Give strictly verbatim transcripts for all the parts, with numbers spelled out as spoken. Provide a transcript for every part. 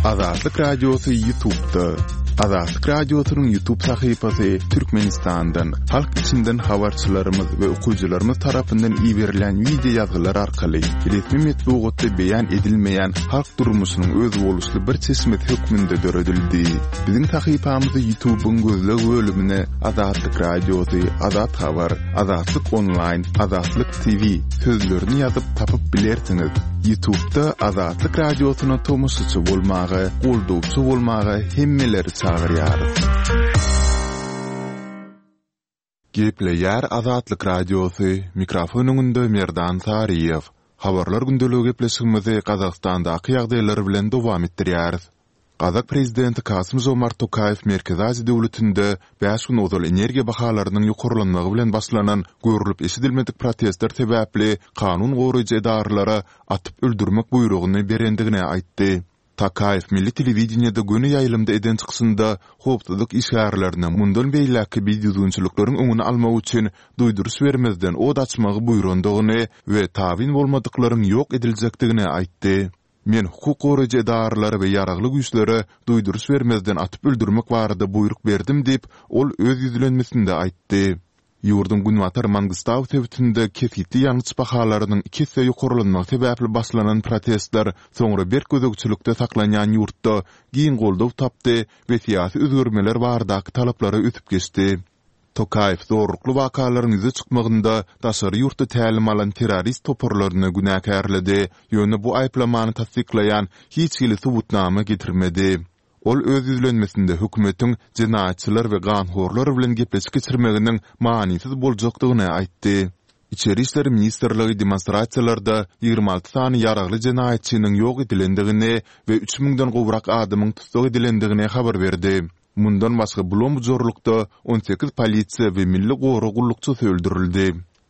Azatlyk Radiosy YouTube'da. Azatlyk Radiosynyň YouTube sahypasy Türkmenistandan, halk içinden habarçylarymyz we okyjylarymyz tarapyndan iberilen wideo ýazgylar arkaly resmi metbugatda beýan edilmeýän halk durmuşynyň özboluşly bir çeşmesi hökmünde döredildi. Biziň sahypamyzy YouTube'yň gözleg bölümine Azatlyk Radiosy, Azat Habar, Azatlyk Online, Azatlyk T V sözlerini ýazyp tapyp bilersiňiz. YouTube'da Azatlyk Radiosyna tomaşaçy bolmaga, goldawçy bolmaga hemmeleri çagyrýarys. Gepleýär Azatlyk Radiosy, mikrofon öňünde Merdan Saryýew. Habarlar gündeligi gepleşigimizi Gazagystandaky ýagdaýlar bilen dowam etdirýäris. Gazak prezidenti Kasym-Žomart Tokaýew Merkezi Aziýa döwletinde bäş gün ozal energiýa bahalarynyň ýokarlanmagy bilen başlanan görlüp eşidilmedik protestler sebäpli kanun goraýjy edaralara atyp öldürmek buýrugyny berendigini aýtdy. Tokaýew milli telewideniýede göni ýaýlymda eden çykyşynda howpsuzlyk işgärlerine mundan beýläkki bidüzgünçilikleriň öňüni almak üçin duýduryş bermezden od açmagy buýrandygyny we tabyn bolmadyklaryň ýok ediljekdigini aýtdy. Men hukuk goraýjy edaralara we ýaragly güýçlere duýduryş bermezden atyp öldürmek barada buýruk berdim diýip, ol öz ýüzlenmesinde aýtdy. Ýurduň Günbatar Mangistau sebitinde kesgitli ýangyç bahalarynyň iki esse ýokarlanmagy sebäpli başlanan protestler soňra berk gözegçilikde saklanýan ýurtda giň goldaw tapdy we syýasy özgermeler baradaky talaplara ösüp geçdi. Tokaýew zorlukly wakalaryň ýüze çykmagynda daşary ýurtda tälim alan terrorist toparlaryny günäkärledi, ýöne bu aýyplamany tassyklaýan hiç hili subutnama getirmedi. Ol öz ýüzlenmesinde hökümetiň jenaýatçylar we ganhorlar bilen gepleşik geçirmeginiň manysyz boljakdygyny aýtdy. Içeri işler ministrligi demonstrasiýalarda ýigrimi alty sany ýaragly jenaýatçynyň ýok edilendigini we üç müňden gowrak adamyň tussag edilendigini habar berdi. Mundan başga bulam-bujarlykda on sekiz polisiýa we milli gorag gullukçysy öldürildi.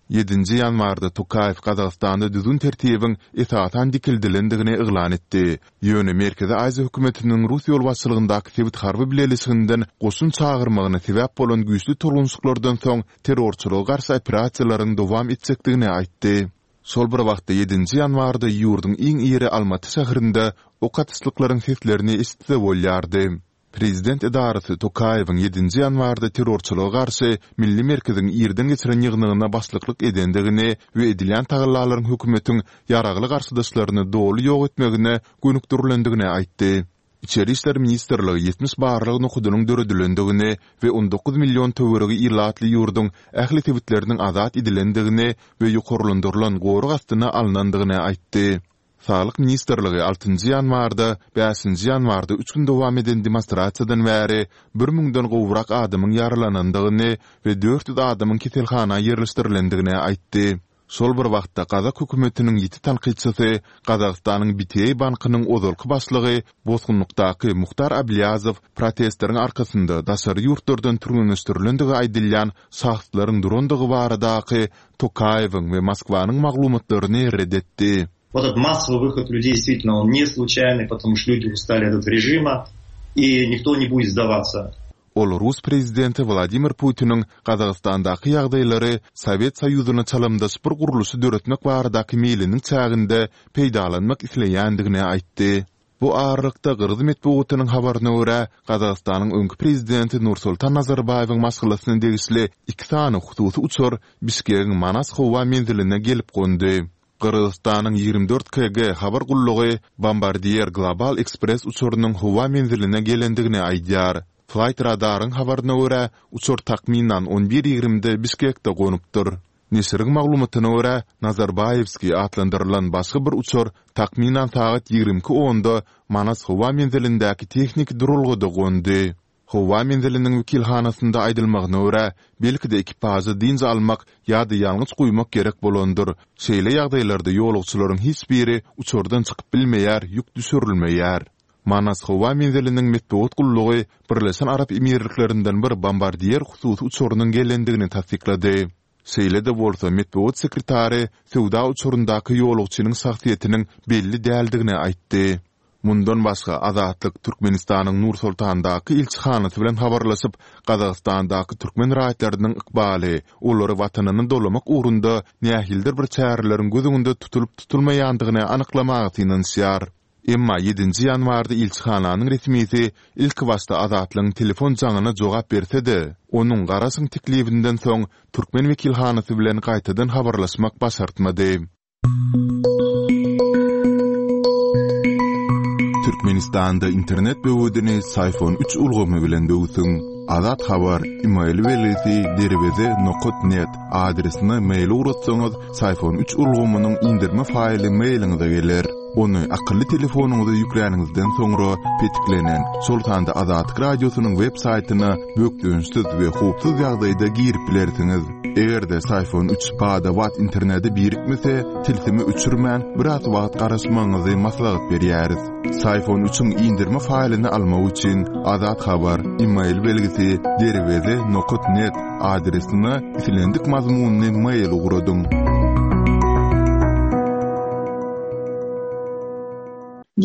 Ýedinji ýanwarda Tokaýew Gazagystanda düzgün tertibiň esasan dikeldilendigini yglan etdi. Ýöne Merkezi Aziýa hökümetiniň Rus ýolbaşçylygyndaky sebit harby bileleşiginden goşun çagyrmagyna sebäp bolan güýçli tolgunşyklardan soň terrorçylyga garşy operasiýalaryň dowam etjekdigini aýtdy. Şol bir wagtda ýedinji ýanwarda ýurduň iň iri Almaty şäherinde ok atyşlyklaryň seslerini eşitse bolýardy. Prezident edarasy Tokaýewiň ýedinji ýanwarda terrorçylyga garşy Milli merkeziň irden geçiren ýygnagyna başlyklyk edendigini we edilýän tagallalaryň hökümetiň ýaragly garşydaşlaryny doly ýok etmegine gönükdirilendigini aýtdy. Içeri işler ministrligi ýetmiş barlag nokadynyň döredilendigini we on dokuz million töweregi ilatly ýurduň ähli sebitleriniň azat edilendigini we ýokarlandyrylan gorag astyna alnandygyny aýtdy. Saglyk ministrligi altynjy ýanwarda, bäşinji ýanwarda üç gün dowam eden demonstrasiýadan bäri bir müňden gowrak adamyň ýaralanandygyny we dört ýüz adamyň keselhana ýerleşdirilendigini aýtdy. Şol bir wagtda Gazak hökümetiniň ýiti tankytçysy, Gazagystanyň B T A bankynyň ozalky başlygy bosgunlykdaky Muhtar Ablýazow protestleriň arkasynda daşary ýurtlardan türgenleşdirilendigi aýdylýan şahslaryň durandygy baradaky Tokaýewiň we Moskwanyň maglumatlaryny red etdi. Вот этот массовый выход людей действительно он не случайный, потому что люди устали от этого режима, и никто не будет сдаваться. Ol Rus prezidenti Wladimir Putiniň Gazagystandaky ýagdaýlary Sowet Soýuzyna çalymdaş bir gurluşy döretmek baradaky meýliniň çäginde peýdalanmak isleýändigini aýtdy. Bu aralykda Gyrgyz metbugatynyň habaryna görä, Gazagystanyň öňki prezidenti Nursultan Nazarbaýewiň maşgalasyna degişli iki sany hususy uçar Bişkegiň Manas howa menziline gelip gondy. Gyrgyzystanyň ýigrimi dört K G habar gullugy Bombardier Global Express uçarynyň howa menziline gelendigini aýdýar. Flight Radaryň habaryna görä, uçar takmynan on bir ýigrimide Bişkekde gonupdyr. Neşiriň maglumatyna görä, Nazarbaýewskiý atlandyrylan başga bir uçar takmynan sagat ýigrimi iki onda Manas howa menzilindäki tehniki duralgada gondy. Howa menziliniň wekilhanasynda aýdylmagyna görä, belki-de ekipaža dynç almak ýa-da ýangyç guýmak gerek bolandyr. Şeýle ýagdaýlarda ýolagçylaryň hiç biri uçardan çykyp bilmeýär, ýük düşürilmeýär. Manas howa menziliniň metbugat gullugy Birleşen Arap Emirliklerinden bir Bombardier hususy uçarynyň gelendigini tassyklady. Şeýle-de bolsa, metbugat sekretary söwda uçaryndaky ýolagçynyň şahsyýetiniň belli däldigini aýtdy. Mundan başga Azatlyk Türkmenistanyň Nur-Sultandaky ilçihanasy bilen habarlaşyp, Gazagystandaky türkmen raýatlarynyň ykbaly, olary watanyna dolamak ugrunda nähilidir bir çäreleriň göz öňünde tutulyp-tutulmaýandygyny anyklamaga synanyşýar. Emma ýedinji ýanwarda ilçihananyň resmisi ilkibaşda Azatlygyň telefon jaňyna jogap berse-de, onuň garaşyň teklibinden soň türkmen wekilhanasy bilen gaýtadan habarlaşmak başartmady. Türkmenistanda internet böwedini Syfon üç ulgamy bilen döwsüň. Azat Habar, email belgisi derweze nokat net adresine mail ugratsaňyz, Syfon üç ulgamynyň indirme faýly mailiňize geler. Ony akylly telefonyňyza ýükläniňizden soňra petiklenen, şol sanda Azatlyk Radiosynyň web saýtyna bökdençsiz we howpsuz ýagdaýda girip bilersiňiz. Eger-de Syfon üç bada-bat internete birikmese, tilsimi öçürmän, biraz wagt garaşmagyňyzy maslahat berýäris. Syfon üçiň indirme faýlyny almak üçin Azat Habar, email belgisi derweze nokat net adresine islendik mazmunyny mail ugradyň.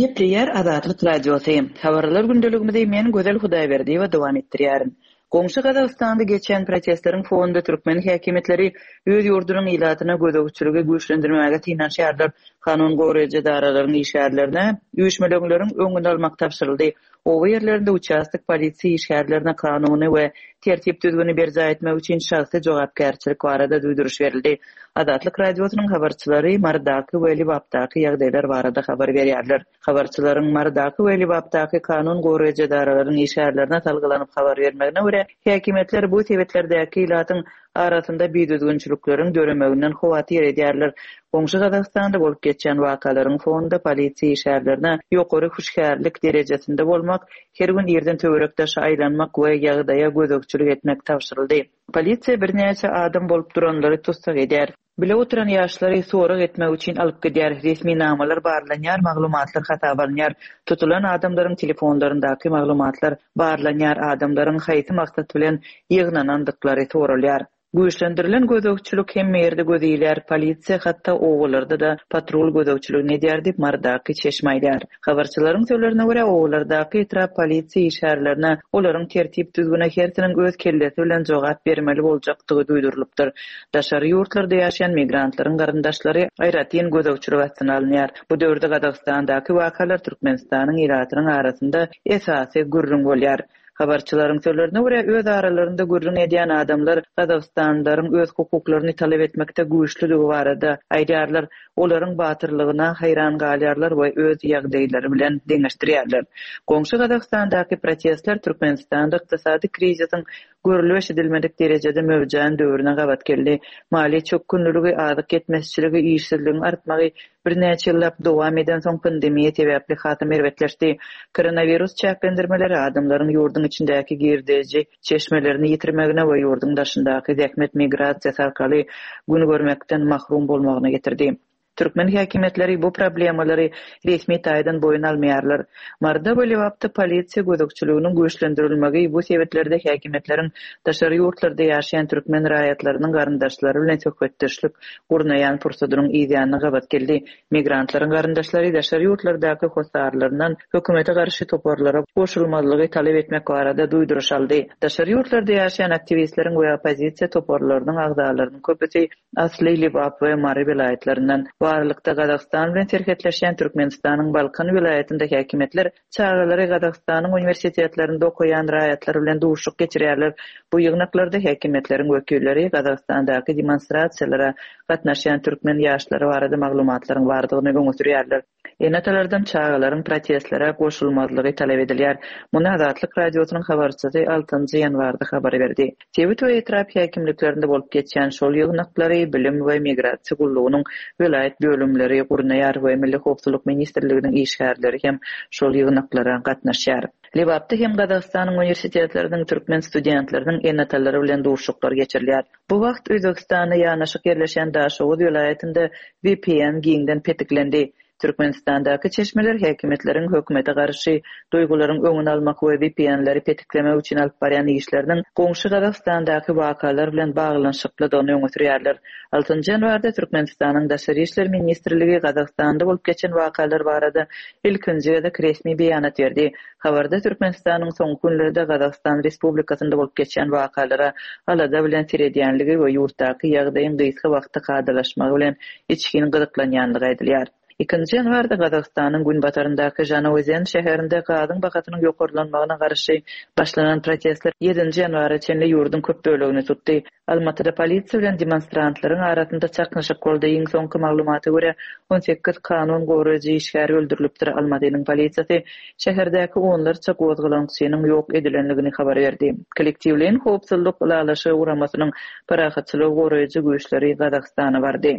Gepleýär Azatlyk Radiosy. Habarlar gündeligimizi men Gözel Hudaýberdiýewa dowam etdirýärin. Goňşy Gazagystanda geçen protestleriň fonunda türkmen häkimiýetleri öz ýurdunyň ilatyna gözegçiligi güýçlendirmäge synanyşýarlar. Kanun goraýjy edaralaryň işgärlerine üýşmeleňleriň öňüni almak tabşyryldy. Oba ýerlerinde uçastok polisiýa işgärlerine kanuny we tertip düzgüni berjaý etmek üçin şahsy jogapkärçilik barada duýduryş berildi. Azatlyk Radiosynyň habarçylary Marydaky we Lebapdaky ýagdaýlar barada habar berýärler. Habarçylaryň Marydaky we Lebapdaky kanun goraýjy edaralaryň işgärlerine salgylanyp habar bermegine görä, häkimiýetler bu sebetlerdäki ilatyň arasynda bidüzgünçilikleriň döremeginden howatyr edýärler. Goňşy Gazagystanda bolup geçen wakalaryň fonunda polisiýa işgärlerine ýokary hüşgärlik derejesinde bolmak, her gün irden töwerekdeşe aýlanmak we ýagdaýa gözegçilik etmek tabşyryldy. Polisiýa birnäçe adam bolup duranlary tussag edýär. Bile oturan ýaşlary sorag etmek üçin alyp gidýär. Resminamalar barlanýar, maglumatlar hasaba alynýar. Tutulan adamlaryň telefonlaryndaky maglumatlar barlanýar, adamlaryň haýsy maksat bilen ýygnanandyklary soralýar. Güýçlendirilen gözegçilik hem ýerde göz ilýär. Polisiýa hatda obalarda da patrul gözegçiligini edýär diýip Marydaky çeşme aýdýar. Habarçylaryň sözlerine görä, obalardaky etrap polisiýa işgärlerine olaryň tertip düzgüne hersiniň öz kellesi bilen jogap bermeli boljakdygy duýdurylypdyr. Daşary ýurtlarda ýaşaýan migrantlaryň garyndaşlary aýratyn gözegçilik astyna alynýar. Bu döwürde Gazagystandaky wakalar Türkmenistanyň ilatynyň arasynda esasy gürrüň bolýar. Habarçylaryň sözlerine görä, öz aralarynda gürrüň edýän adamlar Gazagystanlylaryň öz hukuklaryny talap etmekde güýçlüdigi barada aýdýarlar. Olaryň batyrlygyna haýran galýarlar we öz ýagdaýlary bilen deňeşdirýärler. Goňşy Gazagystandaky protestler Türkmenistanda ykdysady krizisiň görülip eşidilmedik derejede möwjän döwrüne gabat geldi. Maliýe çökgünligi, azyk ýetmezçiligi, işsizligiň artmagy birnäçe ýyllap dowam eden soň pandemiýa sebäpli hasam erbetleşdi. Koronawirus çäklendirmeleri adamlaryň ýurduň içindäki girdeji çeşmelerini ýitirmegine we ýurduň daşyndaky zähmet migrasiýasy arkaly gün görmekden mahrum bolmagyna getirdi. Türkmen häkimiýetleri bu problemalary resmi taýdan boýun almaýarlar. Maryda we Lebapda polisiýa gözegçiliginiň güýçlendirilmegi bu sebetlerde häkimiýetleriň daşary ýurtlarda ýaşaýan türkmen raýatlarynyň garyndaşlary bilen söhbetdeşlik gurnaýan pursadynyň ýanyna gabat geldi. Migrantlaryň garyndaşlary daşary ýurtlardaky hossarlaryndan hökümete garşy toparlara goşulmazlygy talap etmek barada duýduryş aldy. Daşary ýurtlarda ýaşaýan aktiwistleriň we oppozisiýa toparlarynyň agzalarynyň köpüsi asly Lebap we Mary welaýatlaryndan. Bu aralykda Gazagystan bilen serhetleşýän Türkmenistanyň Balkan welaýatynda häkimiýetler çagalary Gazagystanyň uniwersitetlerinde okaýan raýatlar bilen duşuşyk geçirýärler. Bu ýygnaklarda häkimiýetleriň wekilleri Gazagystandaky demonstrasiýalara gatnaşýan türkmen ýaşlary barada maglumatlaryň bardygyny öňe sürýärler. Ene-atalardan çagalaryň protestlere goşulmazlygy talap edilýär. Muny Azatlyk Radiosynyň habarçysy altynjy ýanwarda habar berdi. Sebit we etrap häkimliklerinde bolup geçýän şol ýygnaklary Bilim we Migrasiýa gullugynyň welaýat bölümleri gurnaýar we Milli Howpsuzlyk Ministrliginiň işgärleri hem şol ýygnaklara gatnaşýar. Lebapda hem Gazagystanyň uniwersitetleriniň türkmen studentleriniň ene-atalary bilen duşuşyklar geçirilýär. Bu wagt Özbegistanda ýanaşyk ýerleşen Daşoguz welaýatynda V P N giňden petiklendi. Türkmenistandaky çeşmeler häkimiýetleriň hökümete garşy duýgularyň öňüni almak we V P N-leri petiklemek üçin alyp barýan işleriniň goňşy Gazagystandaky wakalar bilen baglanyşyklydygyny öňe sürýärler. Altynjy ýanwarda Türkmenistanyň Daşary işler ministrligi Gazagystanda bolup geçen wakalar barada ilkinji gezek resmi beýanat berdi. Habarda Türkmenistanyň soňky günlerde Gazagystan Respublikasynda bolup geçen wakalara alada bilen seredýänligi we ýurtdaky ýagdaýyň gysga wagtda kadalaşmagy bilen içgin gyzyklanýanlygy aýdylýar. Ikinji ýanwarda Gazagystanyň günbataryndaky Žanaozen şäherinde gazyň bahasynyň ýokarlanmagyna garşy başlanan protestler ýedinji ýanwara çenli ýurduň köp bölegini tutdy. Almatyda polisiýa bilen demonstrantlaryň arasynda çaknyşyk boldy. Iň soňky maglumata görä, on sekiz kanun goraýjy işgäri öldürilipdir. Almatynyň polisiýasy şäherdäki onlarça gozgalaňçynyň ýok edilendigini habar berdi. Kollektiwleýin howpsuzlyk ylalaşygy guramasynyň parahatçylygy goraýjy güýçleri Gazagystana bardy.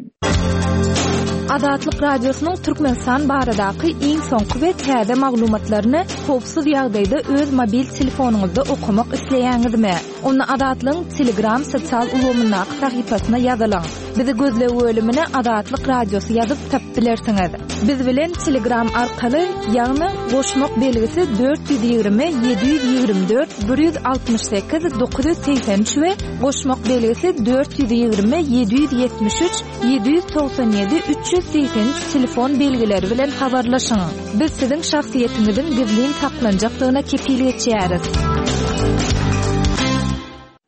Azatlyk Radiosynyň Türkmenistan baradaky iň soňky we täze maglumatlaryny howpsuz ýagdaýda öz mobil telefonyňyzda okamak isleýäňizmi? Onda Azatlygyň Telegram sosial ulgamyndaky sahypasyna ýazylyň. Bizi gözleg bölümine Azatlyk Radiosy ýazyp tapyp bilersiňiz. Biz bilen Telegram arkaly, ýagny goşmak belgisi dört ýüz ýigrimi ýedi ýüz ýigrimi dört bir ýüz altmyş sekiz dokuz ýüz segsen üç we goşmak belgisi dört ýüz ýigrimi ýedi ýüz ýetmiş üç ýedi ýüz togsan ýedi üç ýüz segsen üç telefon belgileri bilen habarlaşyň. Biz siziň şahsyýetiňiziň gizlin saklanjakdygyna kepil geçýäris.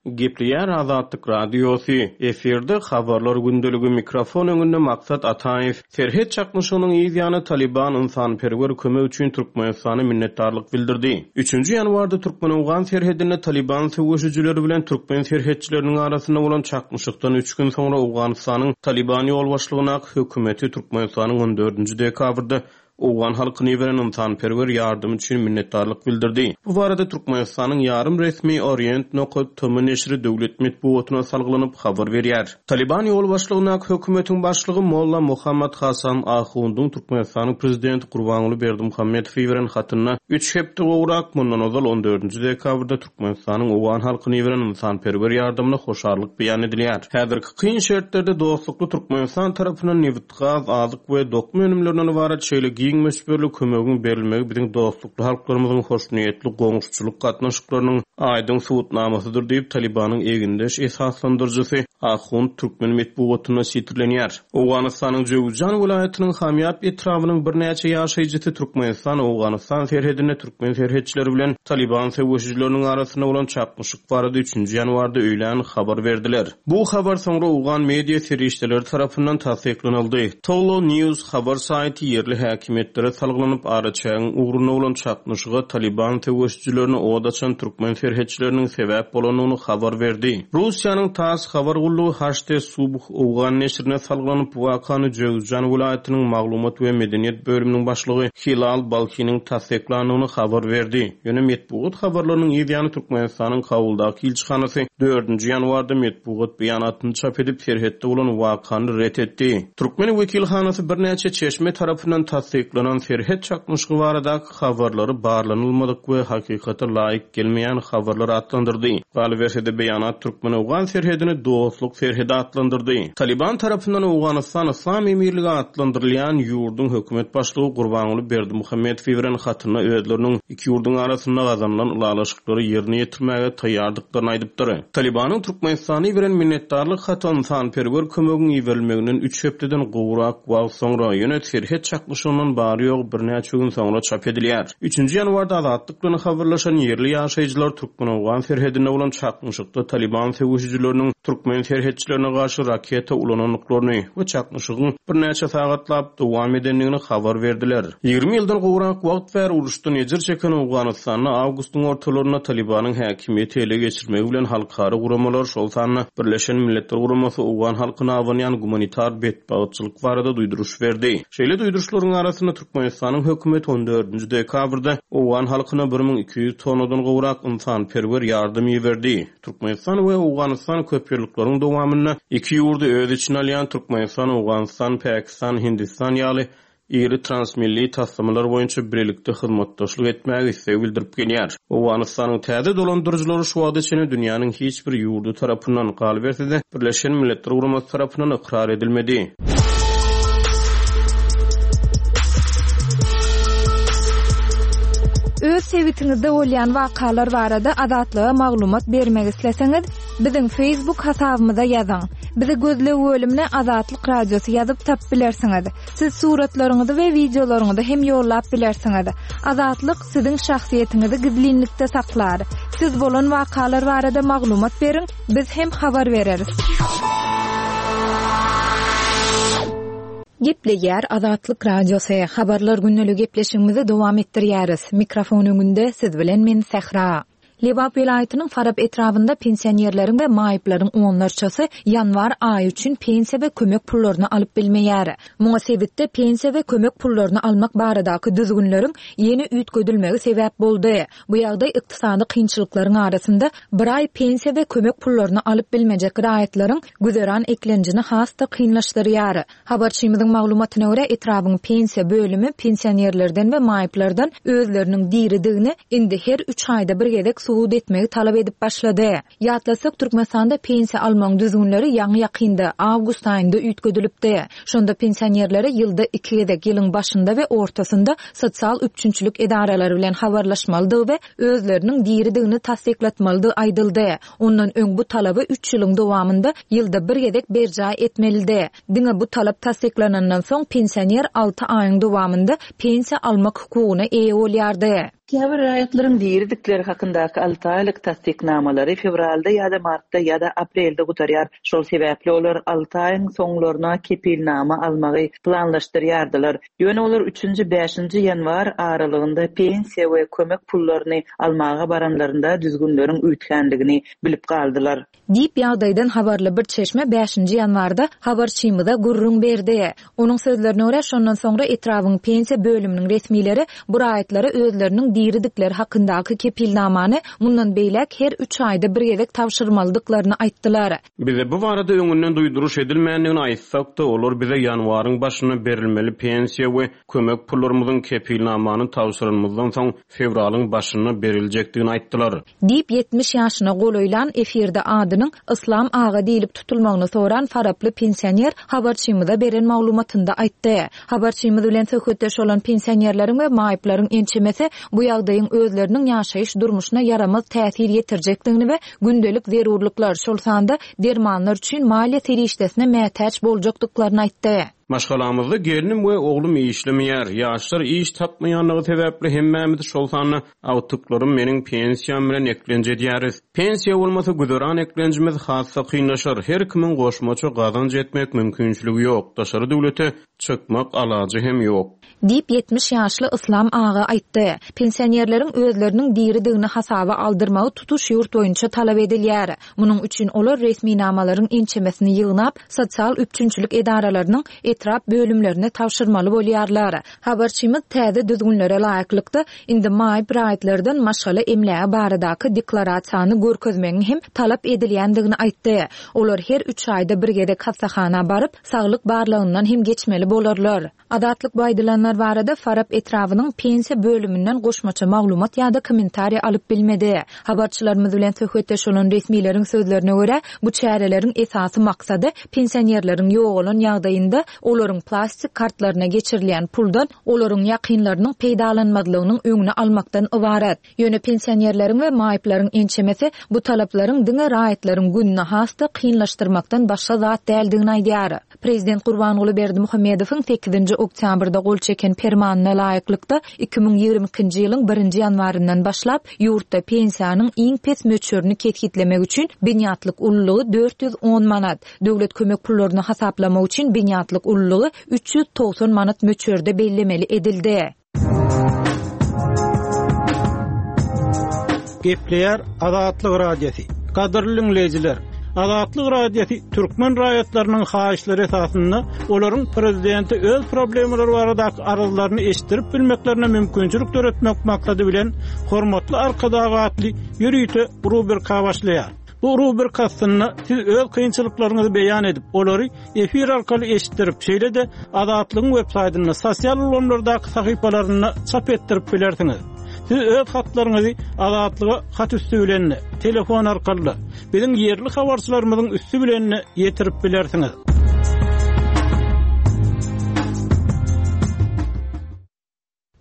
Gepleýär Azatlyk Radiosy. Efirde habarlar gündeligi, mikrofon öňünde Maksat Ataýew. Serhet çaknyşygynyň yz ýany Taliban ynsanperwer kömek üçin Türkmenistana minnetdarlyk bildirdi. Üçünji ýanwarda Türkmen-Owgan serhedinde Taliban söweşijileri bilen türkmen serhetçileriniň arasynda bolan çaknyşykdan üç gün soňra Owganystanyň Taliban ýolbaşçylygyndaky hökümeti Türkmenistanyň on dördünji dekabrda Owgan halkyny beren ynsanperwer ýardymy üçin minnetdarlyk bildirdi. Bu barada Türkmenistanyň ýarym resmi Orient nokta T M neşiri döwlet metbugatyna salgylanyp habar berýär. Taliban ýolbaşçylygyndaky hökümetiň başlygy Molla Muhammad Hasan Ahundyň Türkmenistanyň prezidenti Gurbanguly Berdimuhamedowy beren hatynda üç hepde gowrak mundan ozal on dördünji dekabrda Türkmenistanyň Owgan halkyny beren ynsanperwer ýardymyna hoşallyk beýan edilýär. Häzirki kyn şertlerde dostlukly Türkmenistan tarapyndan nebit, gaz, azyk we dokma önümlerinden ybarat şeýle giň möçberli kömegiň berilmegi biziň dostlukly halklarymyzyň hoşniýetli goňşuçylyk gatnaşyklarynyň aýdyň subutnamasydyr diýip Talibanyň egindeş esaslandyryjysy Ahund türkmen metbugatynda sitirlenýär. Owganystanyň Jöwüzjan welaýatynyň Hamýap etrabynyň birnäçe ýaşaýjysy Türkmenistan Owganystan serhedinde türkmen serhetçileri bilen Taliban söweşijileriniň arasynda bolan çaknyşyk barada üçünji ýanwarda öýlän habar berdiler. Bu habar soňra Owgan media serişdeleri tarapyndan tassyklanyldy. Tolo News habar saýty ýerli häkimiýetlere salgylanyp araçägiň ugrunda bolan çaknyşyga Taliban söweşijilerine od açan türkmen serhetçileriniň sebäp bolandygyny habar berdi. Russiýanyň TASS habar gullugy H T Subh Owgan neşirine salgylanyp bu wakany Jöwüzjan welaýatynyň maglumat we medeniýet bölüminiň başlygy Hilal Balkiniň tassyklandygyny habar berdi. Ýöne metbugat habarlarynyň yz ýany Türkmenistanyň Kabuldaky ilçihanasy dördünji ýanwarda metbugat beýanatyny çap edip serhetde bolan wakany ret etdi. Türkmen wekilhanasy birnäçe çeşme tarapyndan tassyklanan serhet çaknyşygy baradaky habarlary barlanylmadyk we hakykata laýyk gelmeýän habarlar atlandyrdy. Galyberse-de beýanat Türkmen-Owgan serhedini dostluk serhedi atlandyrdy. Taliban tarapyndan Owganystan Islam Emirligi atlandyrylýan ýurduň hökümet başlygy Gurbanguly Berdimuhamedow beren hatynda özleriniň iki ýurduň arasynda gazanylan ylalaşyklary ýerine ýetirmäge taýýardyklaryny aýdypdyr. Talibanyň Türkmenistany beren minnetdarlyk haty ynsanperwer kömegiň iberilmeginden üç hepdeden gowrak wagt soňra ýöne serhet çaknyşygyndan bary ýogy birnäçe gün soňra çap edilýär. Üçünji ýanwarda Azatlyk bilen habarlaşan ýerli ýaşaýjylar Türkmen-Owgan serhedinde bolan çaknyşykda Taliban söweşijileriniň türkmen serhetçilerine garşy raketa ulanandyklaryny we çaknyşygyň birnäçe sagatlap dowam edendigini habar berdiler. Ýigrimi ýyldan gowrak wagt bäri uruşdan ejir çeken Owganystanda awgustyň ortalarynda Talibanyň häkimiýeti ele geçirmegi bilen halkara guramalar, şol sanda Birleşen Milletler Guramasy Owgan halkyna abanýan gumanitar betbagtçylyk barada duýduryş berdi. Şeýle duýduryşlaryň arasynda Türkmenistanyň hökümeti on dördünji dekabrda Owgan halkyna bir müň iki ýüz tonnadan gowrak ynsanperwer ýardam iberdi. Türkmenistan we Owganystan köp ýyllyklaryň dowamynda iki ýurdy öz içine alýan Türkmenistan, Owganystan, Pakistan, Hindistan ýaly iri transmilli taslamalar boýunça birlikde hyzmatdaşlyk etmäge isleg bildirip gelýär. Owganystanyň täze dolandyryjylary şu wagta çenli dünýäniň hiç bir ýurdy tarapyndan, galyberse-de Birleşen Milletler Guramasy tarapyndan ykrar edilmedi. Öz sebitiňizde bolýan wakalar barada Azatlyga maglumat bermek isleseňiz, biziň Facebook hasabymyza ýazyň. Bizi gözleg bölümine Azatlyk Radiosy ýazyp tapyp bilersiňiz. Siz suratlaryňyzy we wideolaryňyzy hem ýollap bilersiňiz. Azatlyk siziň şahsyýetiňizi gizlinlikde saklar. Siz bolan wakalar barada maglumat beriň, biz hem habar bereris. Gepleýär Azatlyk Radiosy, Habarlar gündeligi gepleşigimizi dowam etdirýäris. Mikrofon öňünde siz bilen men Sähra. Lebap welaýatynyň Farap etrabynda pensionerleriň we maýyplaryň onlarçasy ýanwar aýy üçin pensiýa we kömek pullaryny alyp bilmeýär. Muňa sebitde pensiýa we kömek pullaryny almak baradaky düzgünleriň ýene üýtgedilmegi sebäp boldy. Bu ýagdaý ykdysady kynçylyklaryň arasynda bir aý pensiýa we kömek pullaryny alyp bilmejek raýatlaryň güzeran eklenjini has-da kynlaşdyrýar. Habarçymyzyň maglumatyna görä, etrabyň pensiýa bölümi pensionerlerden we maýyplardan özleriniň diridigini indi her üç aýda bir gezek subut etmegi talap edip başlady. Ýatlasak, Türkmenistanda pensiýa almagyň düzgünleri ýaňy-ýakynda, awgust aýynda üýtgedilipdi. Şonda pensionerlere ýylda iki gezek, ýylyň başynda we ortasynda sosial üpjünçilik edaralary bilen habarlaşmalydygy we özleriniň diridigini tassyklatmalydygy aýdyldy. Ondan öň bu talaby üç ýylyň dowamynda ýylda bir gezek berjaý etmelidi. Diňe bu talap tassyklanandan soň pensioner alty aýyň dowamynda pensiýa almak hukugyna eýe bolýardy. Käbir raýatlaryň diridikleri hakyndaky alty aýlyk tassyknamalary fewralda ýa-da martda ýa-da aprelde gutarýar. Şol sebäpli olar alty aýyň soňlaryna kepilnama almagy planlaşdyrýardylar. Ýöne olar üçünji, bäşinji ýanwar aralygynda pensiýa we kömek pullaryny almaga baranlarynda düzgünleriň üýtgänligini bilip galdylar. Diýip, ýagdaýdan habarly bir çeşme bäşinji ýanwarda habarçymyza gürrüň berdi. Onuň sözlerine görä, şondan soňra etrabyň pensiýa bölüminiň resmileri bu raýatlara özleriniň diridikleri hakyndaky kepilnamany mundan beýläk her üç aýda bir gezek tabşyrmalydyklaryny aýtdylar. Bize bu barada öňünden duýduryş edilmändigini aýtsak-da, olar bize ýanwaryň başynda berilmeli pensiýa we kömek pullarymyzyň kepilnamany tabşyranymyzdan soň fewralyň başynda beriljekdigini aýtdylar. Diýip, ýetmiş ýaşyna golaýlan efirde adynyň Yslam aga diýlip tutulmagyny soran faraply pensioner habarçymyza beren maglumatynda aýtdy. Habarçymyz bilen söhbetdeş bolan pensionerleriň we maýyplaryň ençemesi bu ýagdaýyň özleriniň ýaşaýyş durmuşyna ýaramaz täsir ýetirjekdigini we gündelik zerurlyklar, şol sanda dermanlar üçin maliýe serişdesine mätäç boljakdyklaryny aýtdy. Maşgalamyzda gelnim we oglum işlemeýär. Ýaşlar iş tapmaýanlygy sebäpli hemmämiz, şol sanda agtyklarym meniň pensiýam bilen eklenç edýäris. Pensiýa bolmasa güzeran eklenjimiz has-da kynlaşar. Her kimiň goşmaça gazanç etmek mümkinçiligi ýok. Daşary döwlete çykmak alajy hem ýok. Diýip, ýetmiş ýaşly Yslam aga aýtdy. Pensionerleriň özleriniň diridigini hasaba aldyrmagy tutuş ýurt boýunça talap edilýär. Munuň üçin olar resminamalaryň ençemesini ýygnap, sosial üpjünçilik edaralarynyň etrap bölümlerine tabşyrmaly bolýarlar. Habarçymyz täze düzgünlere laýyklykda, indi maýyp raýatlardan maşgala emlägi baradaky deklarasiýany görkezmegiň hem talap edilýändigini aýtdy. Olar her üç aýda bir gezek hassahana baryp, saglyk barlagyndan hem geçmeli bolarlar. Azatlyk bu aýdylanlar barada Farap etrabynyň pensiýa bölüminden goşmaça maglumat ýa-da kommentariýa alyp bilmedi. Habarçylarymyz bilen söhbetdeş bolan resmileriň sözlerine görä, bu çäreleriň esasy maksady pensionerleriň ýogalan ýagdaýynda olaryň plastik kartlaryna geçirilýän puldan olaryň ýakynlarynyň peýdalanmazlygynyň öňüni almakdan ybarat. Ýöne pensionerleriň we maýyplaryň ençemesi bu talaplaryň diňe raýatlaryň gününi has-da kynlaşdyrmakdan başga zat däldigini aýdýar. Prezident Gurbanguly Berdimuhamedowyň sekizinji oktýabrda gol çeken permanyna laýyklykda iki müň ýigrimi ikinji ýylyň birinji ýanwaryndan başlap ýurtda pensiýanyň iň pes möçberini kesgitlemek üçin binýatlyk ululygy dört ýüz on manat, döwlet kömek pullaryny hasaplamak üçin binýatlyk ululygy üç ýüz togsan manat möçberde bellemeli edildi. Gepleýär Azatlyk Radiosy. Gadyrly dinleýjiler, Azatlyk Radiosy türkmen raýatlarynyň haýyşlary esasynda olaryň prezidenti öz problemalary baradaky arzlaryny eşitdirip bilmeklerine mümkinçilik döretmek maksady bilen Hormatly Arkadag atly ýörite rubrika başlaýar. Bu rubrika astynda siz öz kynçylyklaryňyzy beýan edip, olary efir arkaly eşitdirip, şeýle-de Azatlygyň web saýtynda, sosial ulgamlardaky sahypalarynda çap etdirip bilersiňiz. Siz öz hatlaryňyzy Azatlyga hat üstü bilen, telefon arkaly, biziň ýerli habarçylarymyzyň üstü bilen ýetirip bilersiňiz.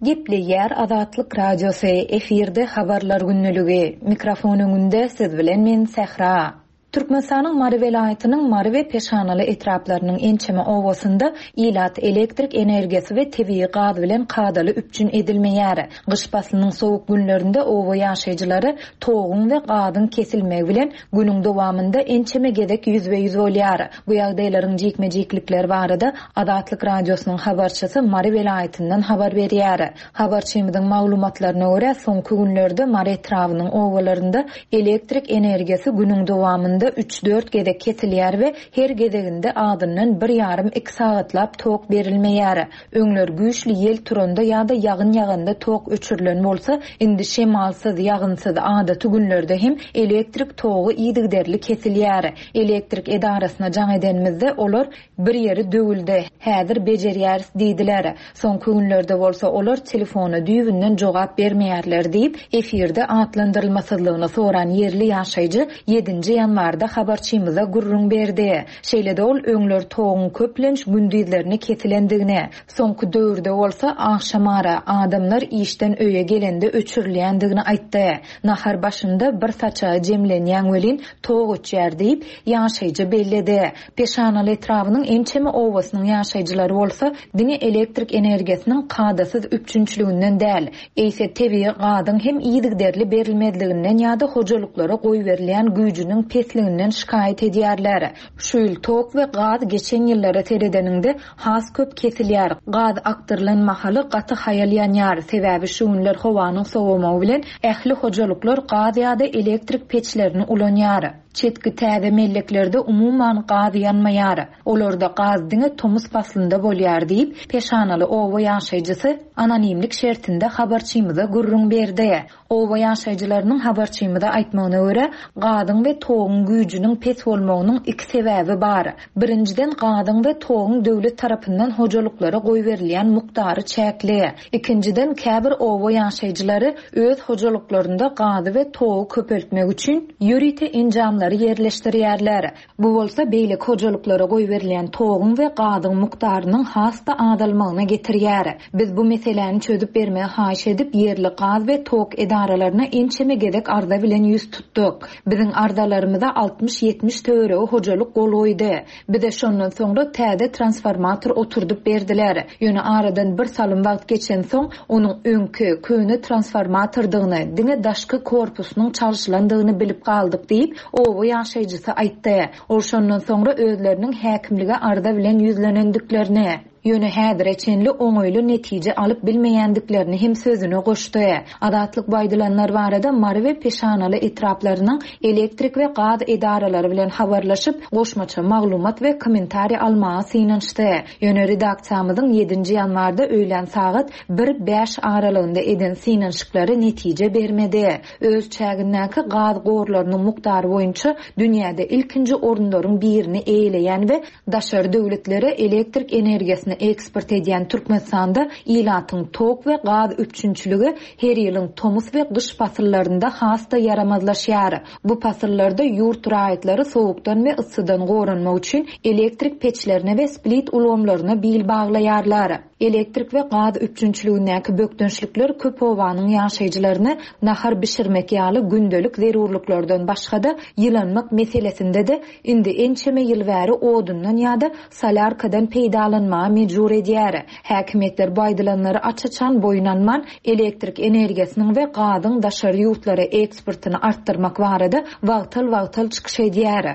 Gepleýär Azatlyk Radiosy, efirde habarlar günlügi. Mikrofon öňünde siz bilen men Sähra. Türkmenistanyň Mary welaýatynyň Mary we Peşanaly etraplarynyň ençeme obasynda ilat elektrik energiýasy we tebigy gaz bilen kadaly üpjün edilmeýär. Gyş paslynyň sowuk günlerinde oba ýaşaýjylary toguň we gazyň kesilmegi bilen günüň dowamynda ençeme gezek ýüzbe-ýüz bolýar. Bu ýagdaýlaryň jikme-jiklikleri barada Azatlyk Radiosynyň habarçysy Mary welaýatyndan habar berýär. Habarçymyzyň maglumatlaryna görä, soňky günlerde Mary etrabynyň obalarynda elektrik energiýasy günüň dowamynda üç-dört gezek kesilýär we her gezeginde azyndan bir ýarym-iki sagatlap tok berilmeýär. Öňler güýçli ýel turanda ýa-da ýagyn ýaganda tok öçürilen bolsa, indi şemalsyz, ýagynsyz adaty günlerde hem elektrik togy yzygiderli kesilýär. Elektrik edarasyna jaň edenimizde olar bir ýeri döwüldi, häzir bejerýäris diýdiler. Soňky günlerde bolsa olar telefona düýbünden jogap bermeýärler diýip, efirde atlandyrylmasyzlygyny soran ýerli ýaşaýjy ýedinji ýanwarda habarçymyza gürrüň berdi. Şeýle-de ol öňler toguň köplenç gündizlerine kesilendigini, soňky döwürde bolsa agşamara adamlar işden öýe gelende öçürilýändigini aýtdy. Nahar başynda bir saçagy jemlenýän welin tok öçýär diýip, ýaşaýjy belledi. Peşanaly etrabynyň ençeme obasynyň ýaşaýjylary bolsa diňe elektrik energiýasynyň kadasyz üpjünçiliginden däl, eýse tebigy gazyň hem yzygiderli berilmezliginden ýa-da hojalyklara goýberilýän güýjüniň pesliginden şikaýat edýärler. Şu ýyl tok we gaz geçen ýyllara seredeniňde has köp kesilýär. Gaz akdyrylan mahaly gaty haýal ýanýar. Sebäbi şu günler howanyň sowamagy bilen ähli hojalyklar gaz ýa-da elektrik peçlerini ulanýar. Çetki täze melleklerde umuman gaz ýanmaýar. Olarda gaz diňe tomus paslynda bolýar diýip, Peşanaly oba ýaşaýjysy anonimlik şertinde habarçymyza gürrüň berdi. Oba ýaşaýjylarynyň habarçymyza aýtmagyna görä, gazyň we toguň güýjüniň pes bolmagynyň iki sebäbi bar. Birinjiden gazyň we toguň döwlet tarapyndan hojalyklara goýberilýän mukdary çäkli. Ikinjiden käbir oba ýaşaýjylary öz hojalyklarynda gazy we togy köpeltmek üçin ýörite enjamlary ýerleşdirýärler. Bu bolsa beýleki hojalyklara goýberilýän toguň we gazyň mukdarynyň has-da azalmagyna getirýär. Biz bu meseläni çözüp bermegi haýyş edip ýerli gaz we tok edaralaryna ençeme gezek arza bilen ýüz tutduk. Biziň arzalarymyza altmyş-ýetmiş töweregi hojalyk gol goýdy. Bize şondan soňra täze transformator oturdyp berdiler. Ýöne aradan bir salym wagt geçen soň onuň öňki köne transformatordygyny, diňe daşky korpusynyň çalşylandygyny bilip galdyk diýip, oba ýaşaýjysy aýtdy. Ol şondan soňra özleriniň häkimlige arza bilen ýüzlenendiklerini, ýöne häzire çenli oňaýly netije alyp bilmeýändiklerini hem sözüne goşdy. Azatlyk bu aýdylanlar barada Mary we Peşanaly etraplarynyň elektrik we gaz edaralary bilen habarlaşyp, goşmaça maglumat we kommentariý almaga synanyşdy. Ýöne redaksiýamyzyň ýedinji ýanwarda öýlän sagat bir bäş aralygynda eden synanyşyklary netije bermedi. Öz çägindäki gaz gorlarynyň mukdary boýunça dünýäde ilkinji orunlaryň birini eýeleýän we daşary döwletlere elektrik energiýasyny eksport edýän Türkmenistanda ilatyň tok we gaz üpjünçiligi her ýylyň tomus we gyş pasyllarynda has-da ýaramazlaşýar. Bu pasyllarda ýurt raýatlary sowukdan we yssydan goranmak üçin elektrik peçlerine we split ulgamlaryna bil baglaýarlar. Elektrik we gaz üpjünçiligindäki bökdençlikler köp obanyň ýaşaýjylaryny nahar bişirmek ýaly gündelik zerurlyklardan başga-da ýylanmak meselesinde-de indi ençeme ýyl bäri odundan ýa-da solarkadan peýdalanmaga mejbur edýär. Häkimiýetler bu aýdylanlary aç-açan boýun alman, elektrik energiýasynyň we gazyň daşary ýurtlara eksportyny artdyrmak barada wagtal-wagtal çykyş edýär.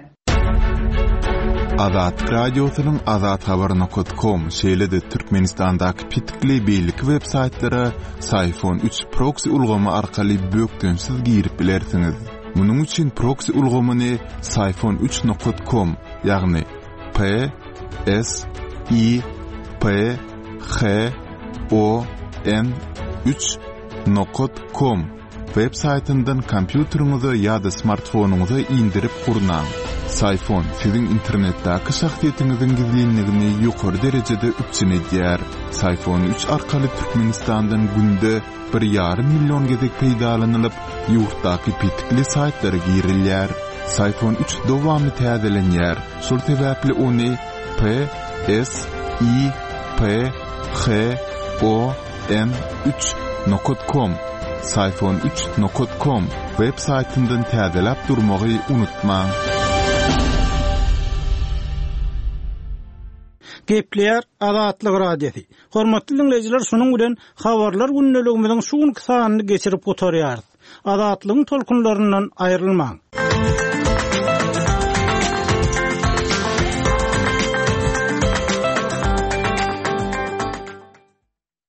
Azatlyk Radiosynyň azathabar nokta com, şeýle-de Türkmenistandaky petikli beýleki web saýtlara Syfon üç proxy ulgamy arkaly bökdençsiz girip bilersiňiz. Munuň üçin proxy ulgamyny Syfon üç nokta com, ýagny P S I P H O N üç nokta com web saýtyndan kompýuteriňize ýa-da smartfonyňyza indirip gurnaň. Syfon siziň internetdäki şahsyýetiňiziň gizlinligini ýokary derejede üpjün edýär. Syfon üç arkaly Türkmenistandan günde bir ýarym million gezek peýdalanylyp, ýurtdaky petikli saýtlara girilýär. Syfon üç dowamly täzelenýär. Şol sebäpli ony P S I P H O N üç nokta com, Syfon üç nokta com web saýtyndan täzeläp durmagy unutmaň. Gepleýär Azatlyk Radiosy. Hormatly diňleýjiler, şunuň bilen habarlar gündeligimiziň şu günki sanyny geçirip gutarýarys. Azatlygyň tolkunlaryndan aýrylmaň.